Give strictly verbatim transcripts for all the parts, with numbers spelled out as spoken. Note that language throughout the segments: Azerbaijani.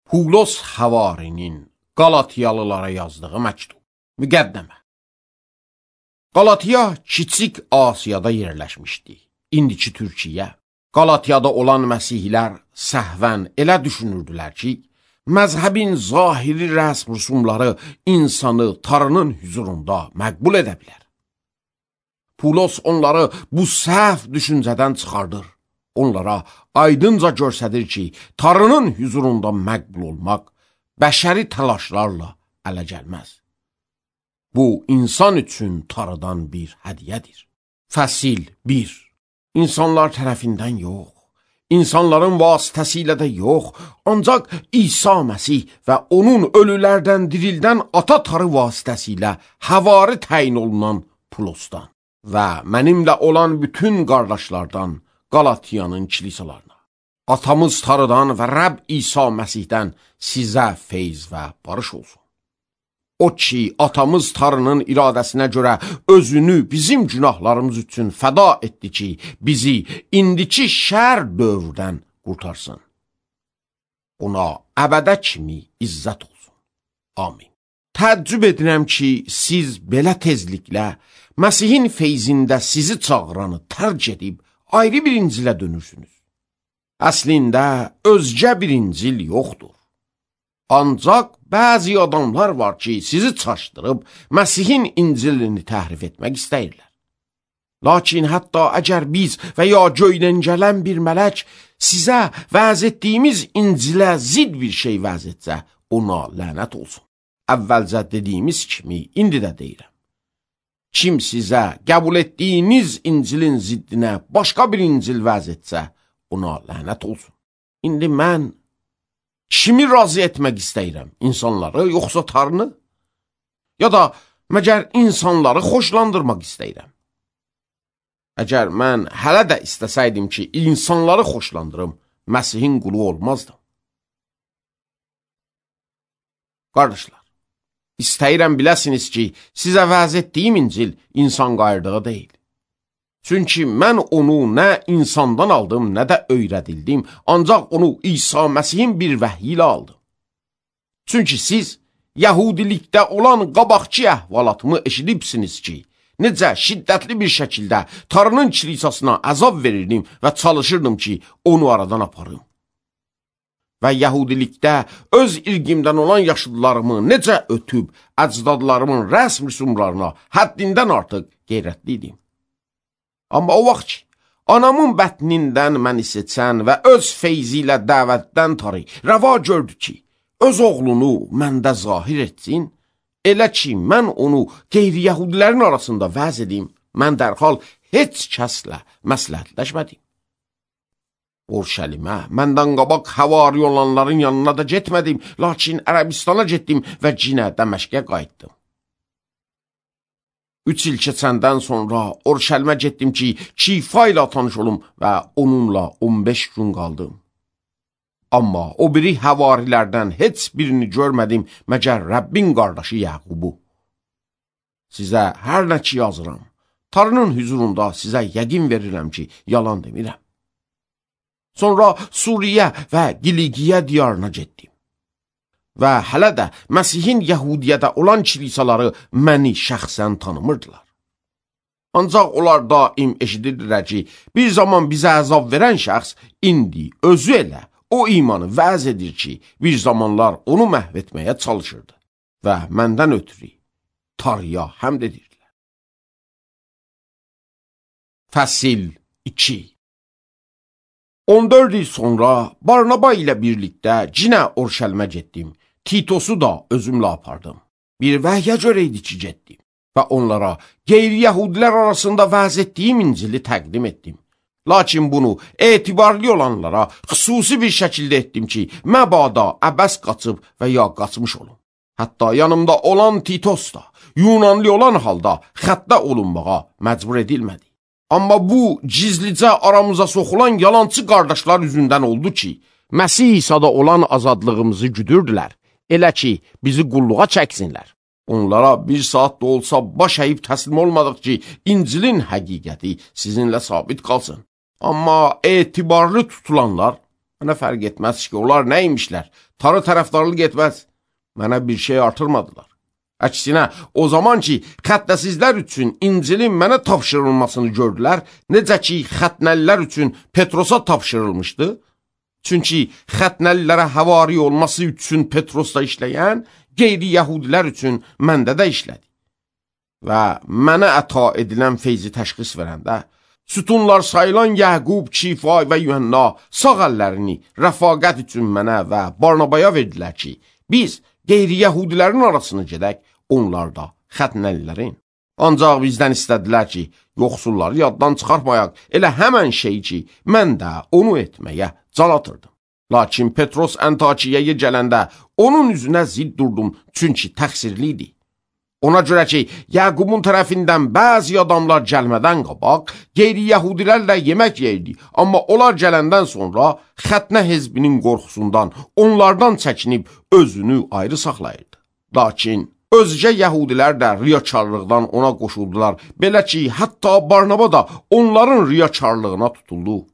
Pulos Havarinin Qalatiyalılara yazdığı məktub. Müqəddəmə. Qalatiya Kiçik Asiyada yerləşmişdi. İndiki Türkiyə. Qalatiyada olan məsihlər səhvən elə düşünürdülər ki, məzhəbin zahiri rəsm rüsumları insanı Tanrının hüzurunda məqbul edə bilər. Pulos onları bu səhv düşüncədən çıxardır. Onlara aydınca göstərir ki, Tanrının hüzurunda məqbul olmaq bəşəri təlaşlarla ələ gəlməz. Bu, insan üçün Tanrıdan bir hədiyyədir. Fəsil bir. İnsanlar tərəfindən yox, insanların vasitəsilə də yox, ancaq İsa Məsih və onun ölülərdən dirildən ata Tanrı vasitəsilə həvari təyin olunan Pulosdan və mənimlə olan bütün qardaşlardan Qalatiyanın kilisalarına. Atamız Tanrıdan və Rəbb İsa Məsihdən sizə feyz və barış olsun. O ki, atamız Tanrının iradəsinə görə özünü bizim günahlarımız üçün fəda etdi ki, bizi indiki şər dövrdən qurtarsın. Ona əbədə kimi izzət olsun. Amin. Təəccüb edirəm ki, siz belə tezliklə Məsihin feyzində sizi çağıranı tərk edib ayrı bir İncilə dönürsünüz. Əslində, özgə bir İncil yoxdur. Ancaq bəzi adamlar var ki, sizi çaşdırıb Məsihin İncilini təhrif etmək istəyirlər. Lakin hətta əgər biz və ya göydən gələn bir mələk sizə vəz etdiyimiz İncilə zid bir şey vəz etsə, ona lənət olsun. Əvvəlcə dediyimiz kimi, indi də deyirəm. Kim sizə qəbul etdiyiniz İncilin ziddinə başqa bir İncil vəz etsə, ona lənət olsun. İndi mən kimi razı etmək istəyirəm? İnsanları, yoxsa Tanrını? Ya da məgər insanları xoşlandırmaq istəyirəm? Əgər mən hələ də istəsəydim ki, insanları xoşlandırım, Məsihin qulu olmazdım. Qardaşlar, istəyirəm biləsiniz ki, sizə vəz etdiyim İncil insan qayırdığı deyil. Çünki mən onu nə insandan aldım, nə də öyrədildim, ancaq onu İsa Məsihin bir vəhyi ilə aldım. Çünki siz Yahudilikdə olan qabaqçı əhvalatımı eşidibsiniz ki, necə şiddətli bir şəkildə Tanrının kilisasına əzab verirdim və çalışırdım ki, onu aradan aparım. Və Yahudilikdə öz irqimdən olan yaşlılarımı necə ötüb, əcdadlarımın rəsm rüsumlarına həddindən artıq qeyrətliydim. Amma o vaxt ki, anamın bətnindən məni seçən və öz feyzi ilə dəvətdən Tanrı rəva gördü ki, öz oğlunu məndə zahir etsin, elə ki, mən onu qeyri-yəhudilərin arasında vəz edim, mən dərhal heç kəslə məsləhətləşmədim. Urşəlimə, məndən qabaq həvari olanların yanına da getmədim, lakin Ərəbistana getdim və cinə Dəməşqə qayıtdım. Üç il keçəndən sonra Urşəlimə getdim ki, Kifa ilə tanış olum və onunla on beş gün qaldım. Amma o biri həvarilərdən heç birini görmədim, məgər Rəbbin qardaşı Yaqubu. Sizə hər nə ki yazıram, Tanrının hüzurunda sizə yəqin verirəm ki, yalan demirəm. Sonra Suriyə və Qiliqiyə diyarına getdim. Və hələ də Məsihin Yəhudiyyədə olan kilisaları məni şəxsən tanımırdılar. Ancaq onlar daim eşidirdilər ki, bir zaman bizə əzab verən şəxs indi özü elə o imanı vəz edir ki, bir zamanlar onu məhv etməyə çalışırdı və məndən ötürü Tanrıya həmd edirdilər. Fəsil iki. on dörd il sonra Barnaba ilə birlikdə cinə Urşəlimə getdim. Titosu da özümlə apardım. Bir vəhyə görə idi ki, getdim və onlara qeyri-yəhudilər arasında vəz etdiyim İncili təqdim etdim. Lakin bunu etibarlı olanlara xüsusi bir şəkildə etdim ki, məbada əbəs qaçıb və ya qaçmış olun. Hətta yanımda olan Titos da Yunanlı olan halda xəttə olunmağa məcbur edilmədi. Amma bu gizlicə aramıza soxulan yalancı qardaşlar üzündən oldu ki, Məsih İsa'da olan azadlığımızı güdürdülər, elə ki, bizi qulluğa çəksinlər. Onlara bir saat da olsa baş əyib təslim olmadıq ki, İncilin həqiqəti sizinlə sabit qalsın. Amma etibarlı tutulanlar Mənə fərq etməz ki, onlar neymişlər? Tarı tərəfdarlıq etməz. Mənə bir şey artırmadılar. Əksinə, o zaman ki, xətnəsizlər üçün İncilin mənə tapşırılmasını gördülər, necə ki, xətnəlilər üçün Petrosa tapşırılmışdı. Çünki xətnəlilərə həvari olması üçün Petrosda işləyən, qeyri-yəhudilər üçün məndə də işlədi. Və mənə əta edilən feyzi təşxis verəndə, sütunlar sayılan Yəqub, Kifay və Yuhanna sağ əllərini rəfaqət üçün mənə və Barnabaya verdilər ki, biz qeyri-yəhudilərin arasını gedək, onlar da xətnəlilərin. Ancaq bizdən istədilər ki, yoxsulları yaddan çıxartmayaq, elə həmən şey ki, mən də onu etməyə can atırdım. Lakin Petros Antakiyaya gələndə onun üzünə zid durdum, çünki təqsirli idi. Ona görə ki, Yəqubun tərəfindən bəzi adamlar gəlmədən qabaq, qeyri-yəhudilərlə yemək yeyirdi, amma onlar gələndən sonra xətnə hezbinin qorxusundan onlardan çəkinib özünü ayrı saxlayırdı. Lakin özcə yəhudilər də riyakarlıqdan ona qoşuldular, belə ki, hətta Barnaba da onların riyakarlığına tutuldu.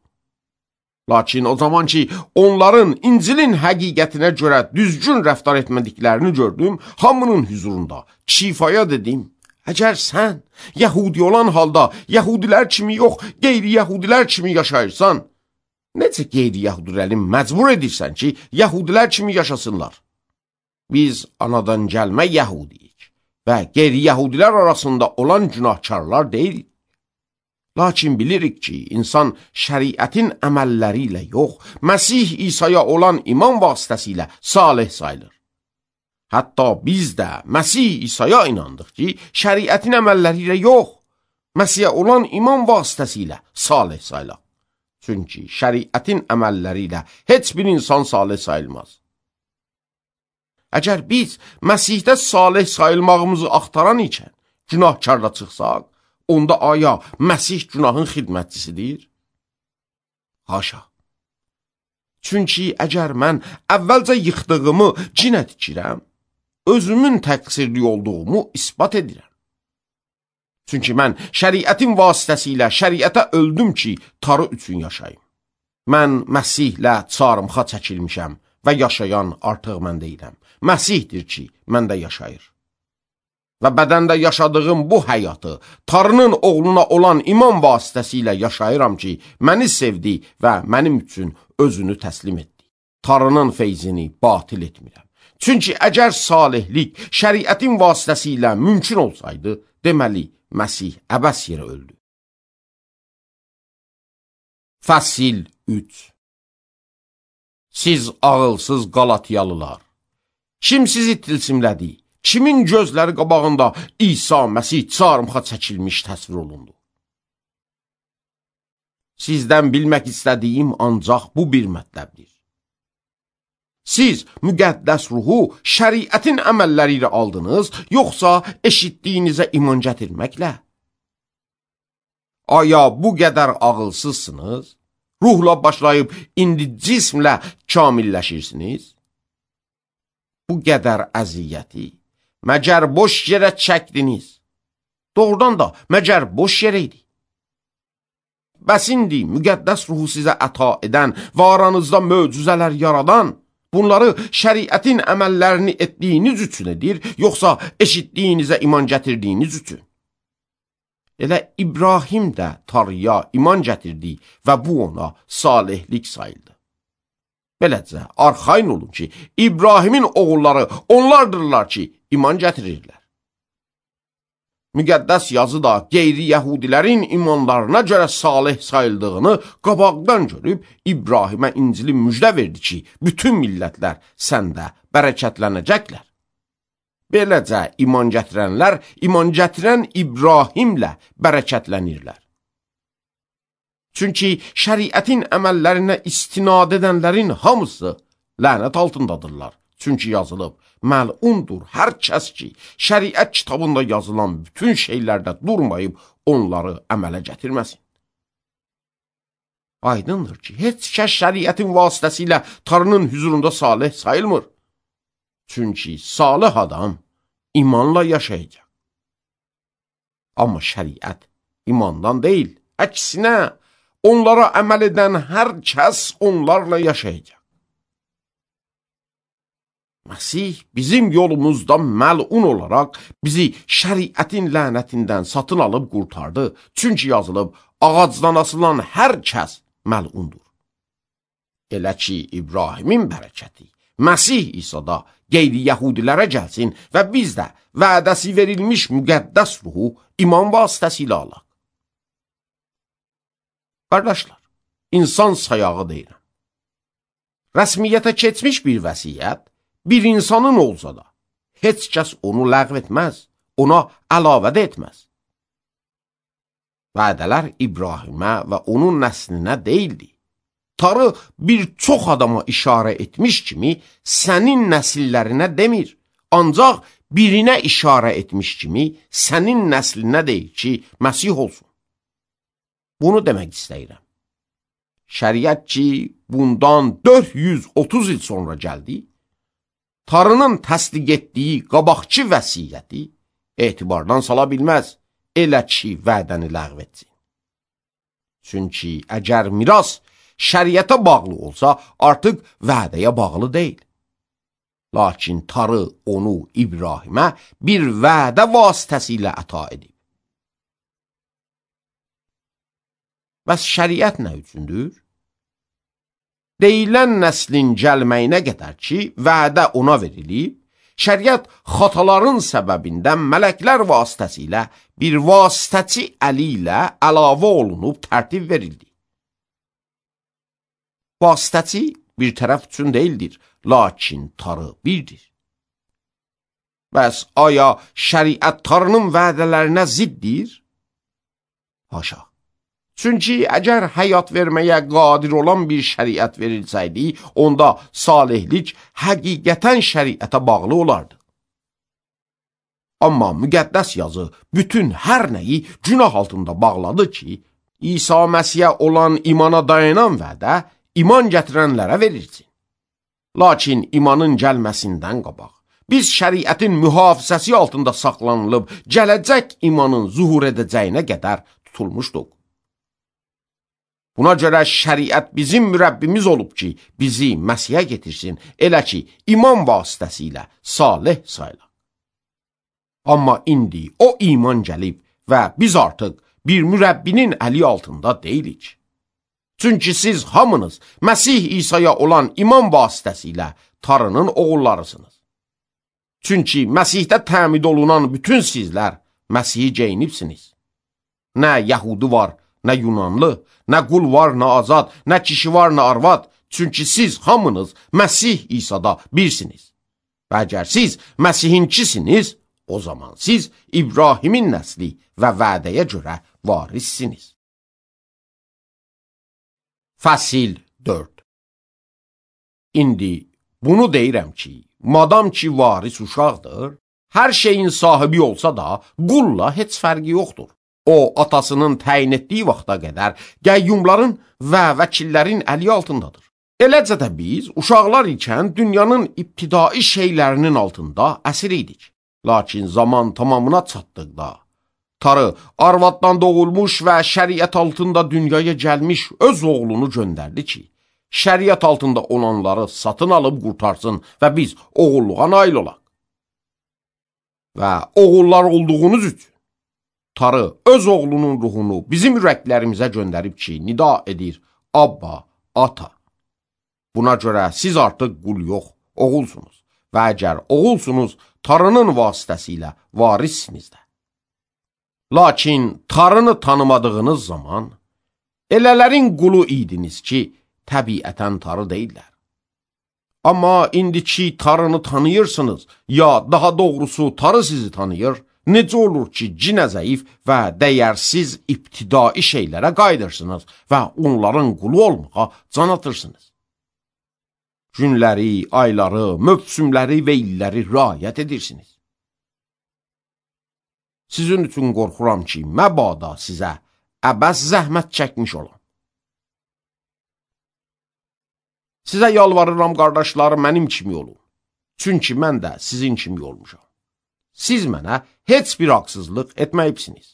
Lakin o zaman ki, onların İncilin həqiqətinə görə düzgün rəftar etmədiklərini gördüm, hamının hüzurunda Kifaya dedim, əgər sən yəhudi olan halda yəhudilər kimi yox, qeyri-yəhudilər kimi yaşayırsan, necə qeyri-yəhudiləri məcbur edirsən ki, yəhudilər kimi yaşasınlar? Biz anadan gəlmə yəhudiyik və qeyri-yəhudilər arasında olan günahkarlar deyilik. Lakin bilirik ki, insan şəriətin əməlləri ilə yox, Məsih İsa'ya olan iman vasitəsilə salih sayılır. Hətta biz də Məsih İsa'ya inandıq ki, şəriətin əməlləri ilə yox, Məsihə olan iman vasitəsilə salih sayılır. Çünki şəriətin əməlləri ilə heç bir insan salih sayılmaz. Əgər biz Məsihdə salih sayılmağımızı axtaran ikən günahkarla çıxsaq, onda aya Məsih günahın xidmətçisidir? Haşa. Çünki əgər mən əvvəlcə yıxdığımı cinə tikirəm, özümün təqsirli olduğumu ispat edirəm. Çünki mən şəriətin vasitəsilə şəriətə öldüm ki, tarı üçün yaşayım. Mən Məsihlə çarmıxa çəkilmişəm və yaşayan artıq mən deyiləm. Məsihdir ki, məndə yaşayır. Və bədəndə yaşadığım bu həyatı Tarının oğluna olan iman vasitəsilə yaşayıram ki, məni sevdi və mənim üçün özünü təslim etdi. Tarının feyzini batil etmirəm. Çünki əgər salihlik şəriətin vasitəsilə mümkün olsaydı, deməli, Məsih əbəs yerə öldü. Fəsil üç. Siz ağılsız Qalatiyalılar, kim sizi tilsimlədi? Kimin gözləri qabağında İsa Məsih çarmıxa çəkilmiş təsvir olundu? Sizdən bilmək istədiyim ancaq bu bir mətləbdir. Siz müqəddəs ruhu şəriətin əməlləri ilə aldınız, yoxsa eşitdiyinizə iman gətirməklə? Aya bu qədər ağılsızsınız? Ruhla başlayıb indi cismlə kamilləşirsiniz? Bu qədər əziyyəti məgər boş yerə çəkdiniz? Doğrudan da məgər boş yerə idi? Bəs indi müqəddəs ruhu sizə əta edən və aranızda möcüzələr yaradan, bunları şəriətin əməllərini etdiyiniz üçün edir, yoxsa eşitdiyinizə iman gətirdiyiniz üçün? Elə İbrahim də Tarıya iman gətirdi və bu ona salihlik sayıldı. Beləcə, arxayın olun ki, İbrahimin oğulları onlardırlar ki, iman gətirirlər. Müqəddəs yazı da qeyri-yəhudilərin imanlarına görə salih sayıldığını qabaqdan görüb İbrahimə İncili müjdə verdi ki, bütün millətlər səndə bərəkətlənəcəklər. Beləcə, iman gətirənlər, iman gətirən İbrahimlə bərəkətlənirlər. Çünki şəriətin əməllərinə istinad edənlərin hamısı lənət altındadırlar. Çünki yazılıb, məlundur hər kəs ki, şəriət kitabında yazılan bütün şeylərdə durmayıb onları əmələ gətirməsin. Aydındır ki, heç kəs şəriətin vasitəsilə Tanrının hüzurunda salih sayılmır. Çünki salih adam imanla yaşayacaq. Amma şəriət imandan deyil, əksinə onlara əməl edən hər kəs onlarla yaşayacaq. Məsih bizim yolumuzda məlun olaraq bizi şəriətin lənətindən satın alıb qurtardı. Çünki yazılıb, ağacdan asılan hər kəs məlundur. Elə ki, İbrahimin bərəkəti Məsih İsa'da qeyri-yəhudilərə gəlsin və biz də vədəsi verilmiş müqəddəs ruhu iman vasitəsilə alaq. Qardaşlar, insan sayağı deyirəm. Rəsmiyyətə keçmiş bir vəsiyyət bir insanın olsa da, heç kəs onu ləğv etməz, ona əlavə də etməz. Vədələr İbrahimə və onun nəslinə deyildi. Tanrı bir çox adama işarə etmiş kimi sənin nəsillərinə demir, ancaq birinə işarə etmiş kimi sənin nəslinə deyir ki, Məsih olsun. Bunu demək istəyirəm. Şəriət ki, bundan dörd yüz otuz il sonra gəldi, Tanrının təsdiq etdiyi qabaqçı vəsiyyəti etibardan sala bilməz, elə ki, vədəni ləğv etsin. Çünki əgər miras şəriətə bağlı olsa, artıq vədəyə bağlı deyil. Lakin Tanrı onu İbrahimə bir vədə vasitəsilə əta edib. Bəs şəriət nə üçündür? Deyilən nəslin gəlməyinə qədər ki, vədə ona verilib, şəriət xataların səbəbindən mələklər vasitəsilə bir vasitəçi əli ilə əlavə olunub tərtib verildi. Vasitəçi bir tərəf üçün deyildir, lakin Tanrı birdir. Bəs aya şəriət Tanrının vədələrinə ziddir? Haşa. Çünki əgər həyat verməyə qadir olan bir şəriət verilsəydi, onda salihlik həqiqətən şəriətə bağlı olardı. Amma müqəddəs yazı bütün hər nəyi günah altında bağladı ki, İsa Məsihə olan imana dayanan vədə iman gətirənlərə verilsin. Lakin imanın gəlməsindən qabaq, biz şəriətin mühafizəsi altında saxlanılıb, gələcək imanın zuhur edəcəyinə qədər tutulmuşduq. Buna görə şəriət bizim mürəbbimiz olub ki, bizi Məsihə getirsin, elə ki, iman vasitəsilə salih sayılaq. Amma indi o iman gəlib və biz artıq bir mürəbbinin əli altında deyilik. Çünki siz hamınız Məsih İsa'ya olan iman vasitəsilə Tanrının oğullarısınız. Çünki Məsihdə təmid olunan bütün sizlər Məsihi geyinibsiniz. Nə Yəhudi var, nə Yunanlı, nə qul var, nə azad, nə kişi var, nə arvad. Çünki siz hamınız Məsih İsa'da birsiniz. Və əgər siz Məsihinkisiniz, o zaman siz İbrahimin nəsli və vədəyə görə varissiniz. Fəsil dörd. İndi bunu deyirəm ki, madam ki varis uşaqdır, hər şeyin sahibi olsa da qulla heç fərqi yoxdur. O, atasının təyin etdiyi vaxta qədər qəyyumların və vəkillərin əli altındadır. Eləcə də biz, uşaqlar ikən dünyanın ibtidai şeylərinin altında əsir idik. Lakin zaman tamamına çatdıqda, Tanrı arvaddan doğulmuş və şəriət altında dünyaya gəlmiş öz oğlunu göndərdi ki, şəriət altında olanları satın alıb qurtarsın və biz oğulluğa nail olaq. Və oğullar olduğunuz üçün Tanrı öz oğlunun ruhunu bizim ürəklərimizə göndərib ki, nida edir, Abba, Ata. Buna görə siz artıq qul yox, oğulsunuz və əgər oğulsunuz, Tanrının vasitəsilə varissiniz də. Lakin Tanrını tanımadığınız zaman, elələrin qulu idiniz ki, təbiətən Tanrı deyirlər. Amma indiki Tanrını tanıyırsınız, ya daha doğrusu Tanrı sizi tanıyır, necə olur ki, cinə zəif və dəyərsiz ibtidai şeylərə qayıdırsınız və onların qulu olmağa can atırsınız. Günləri, ayları, mövsümləri və illəri riayət edirsiniz. Sizin üçün qorxuram ki, məbada sizə əbəs zəhmət çəkmiş olam. Sizə yalvarıram, qardaşlarım, mənim kimi olun. Çünki mən də sizin kimi olmuşam. Siz mənə heç bir haqsızlıq etməyibsiniz.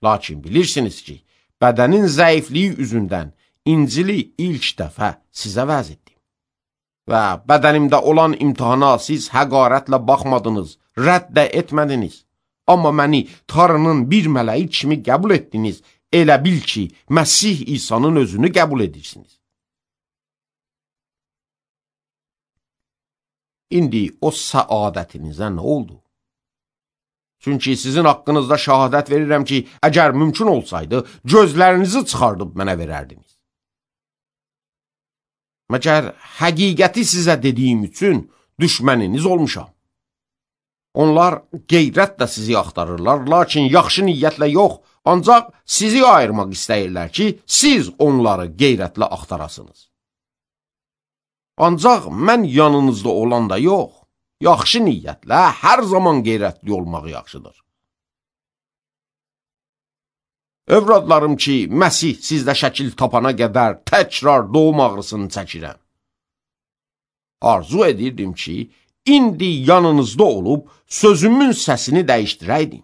Lakin bilirsiniz ki, bədənin zəifliyi üzündən İncili ilk dəfə sizə vəz etdim. Və bədənimdə olan imtihana siz həqarətlə baxmadınız, rədd də etmədiniz. Amma məni Tanrının bir mələyi kimi qəbul etdiniz, elə bil ki, Məsih İsa'nın özünü qəbul edirsiniz. İndi o səadətinizə nə oldu? Çünki sizin haqqınızda şahadət verirəm ki, əgər mümkün olsaydı, gözlərinizi çıxardıb mənə verərdiniz. Məgər həqiqəti sizə dediyim üçün düşməniniz olmuşam. Onlar qeyrətlə sizi axtarırlar, lakin yaxşı niyyətlə yox, ancaq sizi ayırmaq istəyirlər ki, siz onları qeyrətlə axtarasınız. Ancaq mən yanınızda olanda yox, yaxşı niyyətlə hər zaman qeyrətli olmaq yaxşıdır. Övradlarım ki, Məsih sizdə şəkil tapana qədər təkrar doğum ağrısını çəkirəm. Arzu edirdim ki, indi yanınızda olub sözümün səsini dəyişdirəydim.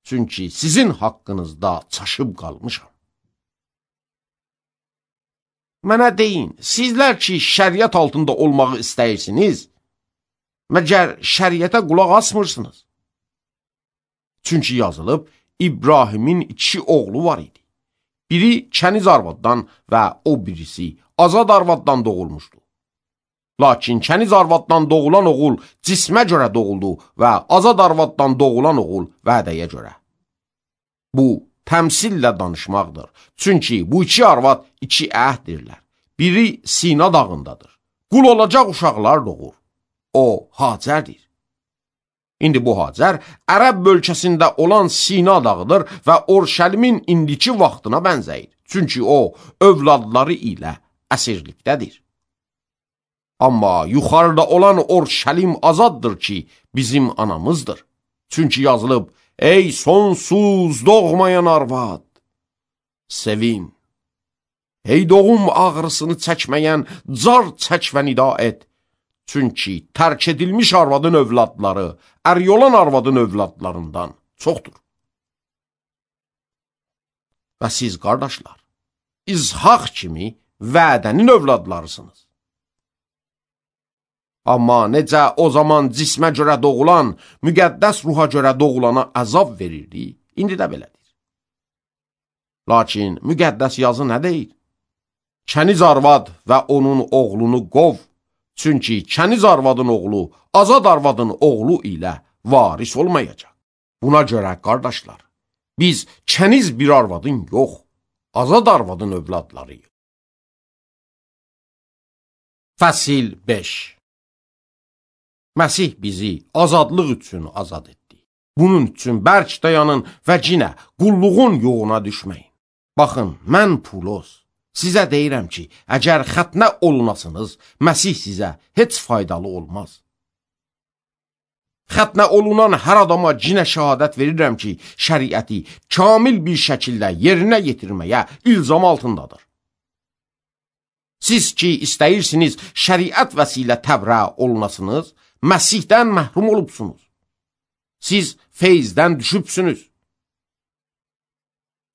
Çünki sizin haqqınızda çaşıb qalmışam. Mənə deyin, sizlər ki, şəriət altında olmağı istəyirsiniz, məgər şəriətə qulaq asmırsınız. Çünki yazılıb, İbrahimin iki oğlu var idi. Biri kəniz arvaddan və o birisi azad arvaddan doğulmuşdu. Lakin kəniz arvaddan doğulan oğul cismə görə doğuldu və azad arvaddan doğulan oğul vədəyə görə. Bu, təmsillə danışmaqdır. Çünki bu iki arvad iki əhdirlər. Biri Sina dağındadır. Qul olacaq uşaqlar doğur. O, Hacərdir. İndi bu Hacər Ərəb bölgəsində olan Sina dağıdır və Orşəlimin indiki vaxtına bənzəyir. Çünki o, övladları ilə əsirlikdədir. Amma yuxarıda olan Orşəlim azaddır ki, bizim anamızdır. Çünki yazılıb, ey sonsuz doğmayan arvad, sevin. Ey doğum ağrısını çəkməyən, car çək və nida et. Çünki tərk edilmiş arvadın övladları, əryolan arvadın övladlarından çoxdur. Və siz, qardaşlar, İzhaq kimi vədənin övladlarısınız. Amma necə o zaman cismə görə doğulan, müqəddəs ruha görə doğulana əzab verirdi, indi də belədir. Lakin müqəddəs yazı nə deyir? Kəniz arvad və onun oğlunu qov, çünki kəniz arvadın oğlu, azad arvadın oğlu ilə varis olmayacaq. Buna görə, qardaşlar, biz kəniz bir arvadın yox, azad arvadın övladlarıyıq. Fəsil beş. Məsih bizi azadlıq üçün azad etdi. Bunun üçün bərk dayanın və cinə qulluğun yoğuna düşməyin. Baxın, mən Pulos, sizə deyirəm ki, əgər xətnə olunasınız, Məsih sizə heç faydalı olmaz. Xətnə olunan hər adama cinə şəhadət verirəm ki, şəriəti kamil bir şəkildə yerinə yetirməyə ilzam altındadır. Siz ki, istəyirsiniz şəriət vəsilə təbrə olunasınız, Məsihdən məhrum olubsunuz. Siz feyzdən düşübsünüz.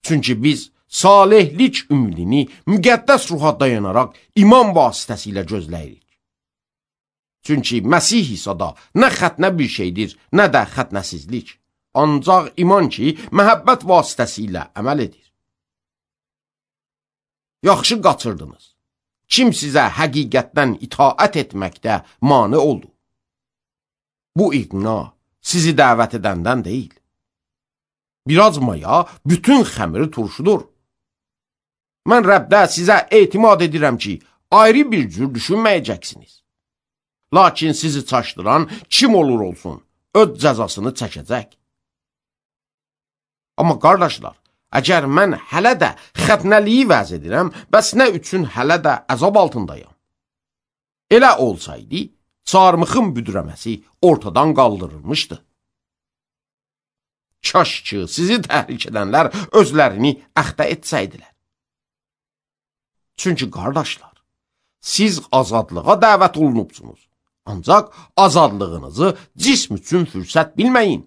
Çünki biz salihlik ümidini müqəddəs ruha dayanaraq iman vasitəsilə gözləyirik. Çünki Məsih İsa'da nə xətnə bir şeydir, nə də xətnəsizlik. Ancaq iman ki, məhəbbət vasitəsilə əməl edir. Yaxşı qaçırdınız. Kim sizə həqiqətdən itaət etməkdə mane oldu? Bu iqna sizi dəvət edəndən deyil. Biraz maya bütün xəmiri turşudur. Mən Rəbdə sizə etimad edirəm ki, ayrı bir cür düşünməyəcəksiniz. Lakin sizi çaşdıran kim olur olsun, öz cəzasını çəkəcək. Amma qardaşlar, əgər mən hələ də xətnəliyi vəz edirəm, bəs nə üçün hələ də əzab altındayım? Elə olsaydı, çarmıxın büdrəməsi ortadan qaldırılmışdı. Kaş ki, sizi təhrik edənlər özlərini əxtə etsəydilər. Çünki, qardaşlar, siz azadlığa dəvət olunubsunuz. Ancaq azadlığınızı cism üçün fürsət bilməyin.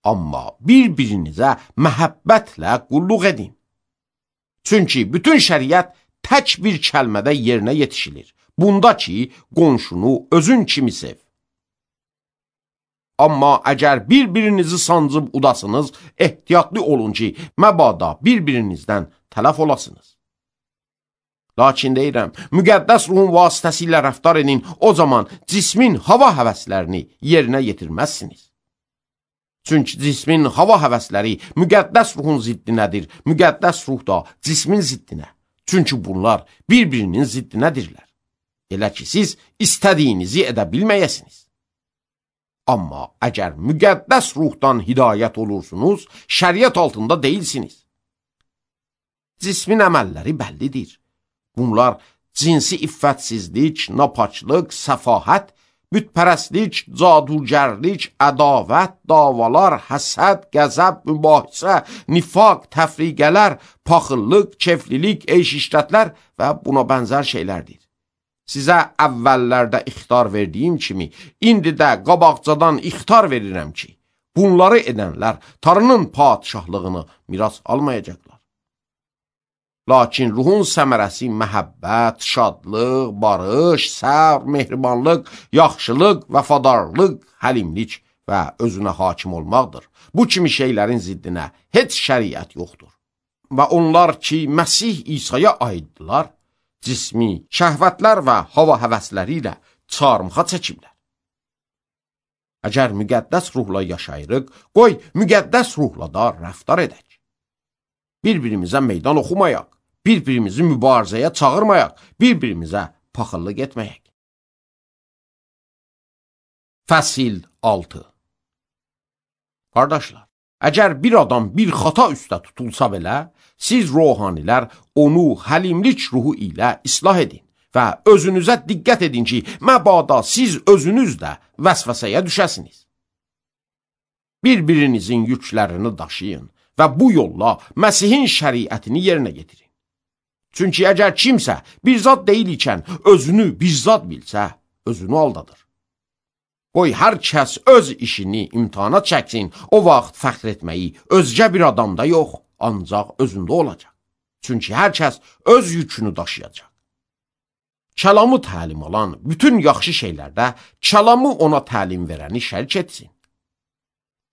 Amma bir-birinizə məhəbbətlə qulluq edin. Çünki bütün şəriət tək bir kəlmədə yerinə yetişilir. Bunda ki, qonşunu özün kimi sev. Amma əgər bir-birinizi sancıb udasınız, ehtiyatlı olun ki, məbada bir-birinizdən tələf olasınız. Lakin deyirəm, müqəddəs ruhun vasitəsilə rəftar edin, o zaman cismin hava həvəslərini yerinə yetirməzsiniz. Çünki cismin hava həvəsləri müqəddəs ruhun ziddinədir, müqəddəs ruh da cismin ziddinə. Çünki bunlar bir-birinin ziddinədirlər. Elə ki, siz istədiyinizi edə bilməyəsiniz. Amma əgər müqəddəs ruhdan hidayət olursunuz, şəriət altında deyilsiniz. Cismin əməlləri bəllidir. Bunlar cinsi iffətsizlik, napaçlıq, səfahət, bütpərəstlik, cadugərlik, ədavət, davalar, həsəd, qəzəb, mübahisə, nifaq, təfriqələr, paxıllıq, keflilik, eyş-işrətlər və buna bənzər şeylərdir. Sizə əvvəllərdə ixtar verdiyim kimi, indi də qabaqcadan ixtar verirəm ki, bunları edənlər Tanrının padişahlığını miras almayacaqlar. Lakin ruhun səmərəsi məhəbbət, şadlıq, barış, səbr, mehribanlıq, yaxşılıq, vəfadarlıq, həlimlik və özünə hakim olmaqdır. Bu kimi şeylərin ziddinə heç şəriət yoxdur. Və onlar ki, Məsih İsa'ya aiddirlər, cismi, şəhvətlər və hava həvəsləri ilə çarmıxa çəkiblər. Əgər müqəddəs ruhla yaşayırıq, qoy müqəddəs ruhla da rəftar edək. Bir-birimizə meydan oxumayaq, bir-birimizi mübarizəyə çağırmayaq, bir-birimizə paxıllıq etməyək. Fəsil altı. Qardaşlar, əgər bir adam bir xata üstə tutulsa belə, siz ruhanilər onu həlimlik ruhu ilə islah edin və özünüzə diqqət edin ki, məbada siz özünüz də vəsvəsəyə düşəsiniz. Bir-birinizin yüklərini daşıyın və bu yolla Məsihin şəriətini yerinə getirin. Çünki əgər kimsə bir zat deyil ikən özünü bir zat bilsə, özünü aldadır. Qoy hər kəs öz işini imtihana çəksin, o vaxt fəxr etməyi özgə bir adamda yox, ancaq özündə olacaq. Çünki hər kəs öz yükünü daşıyacaq. Kəlamı təlim alan bütün yaxşı şeylərdə kəlamı ona təlim verəni şərik etsin.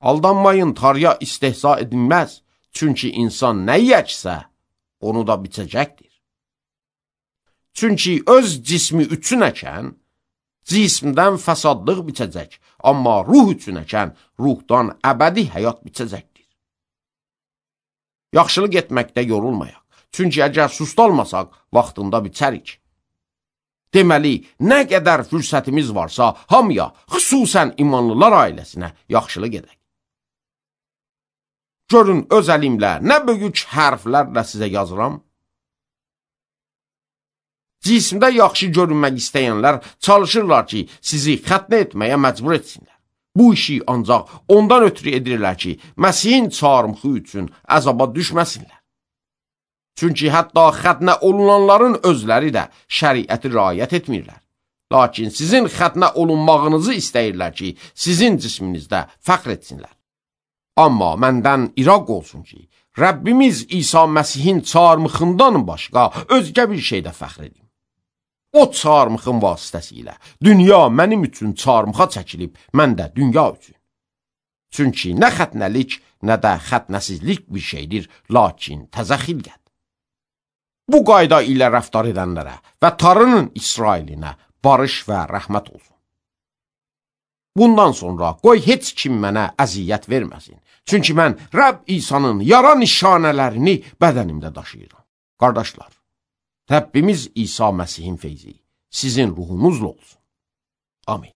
Aldanmayın, Tanrıya istehza edilməz, çünki insan nə yəksə, onu da biçəcəkdir. Çünki öz cismi üçün əkən, cismdən fəsadlıq biçəcək, amma ruh üçün əkən, ruhdan əbədi həyat biçəcəkdir. Yaxşılıq etməkdə yorulmayaq, çünki əgər sustalmasaq, vaxtında biçərik. Deməli, nə qədər fürsətimiz varsa, hamıya, xüsusən imanlılar ailəsinə yaxşılıq edək. Görün, öz əlimlə nə böyük hərflərlə sizə yazıram. Cismdə yaxşı görünmək istəyənlər çalışırlar ki, sizi xətnə etməyə məcbur etsinlər. Bu işi ancaq ondan ötürü edirlər ki, Məsihin çarmıxı üçün əzaba düşməsinlər. Çünki hətta xətnə olunanların özləri də şəriəti riayət etmirlər. Lakin sizin xətnə olunmağınızı istəyirlər ki, sizin cisminizdə fəxr etsinlər. Amma məndən iraq olsun ki, Rəbbimiz İsa Məsihin çarmıxından başqa özgə bir şeydə fəxr edim. O çarmıxın vasitəsilə dünya mənim üçün çarmıxa çəkilib, mən də dünya üçün. Çünki nə xətnəlik, nə də xətnəsizlik bir şeydir, lakin təzə xilqət. Bu qayda ilə rəftar edənlərə və Tanrının İsrailinə barış və rəhmət olsun. Bundan sonra qoy heç kim mənə əziyyət verməsin. Çünki mən Rəbb İsa'nın yara nişanələrini bədənimdə daşıyıram. Qardaşlar, Rəbbimiz İsa Məsihin feyzi sizin ruhunuzla olsun. Amin.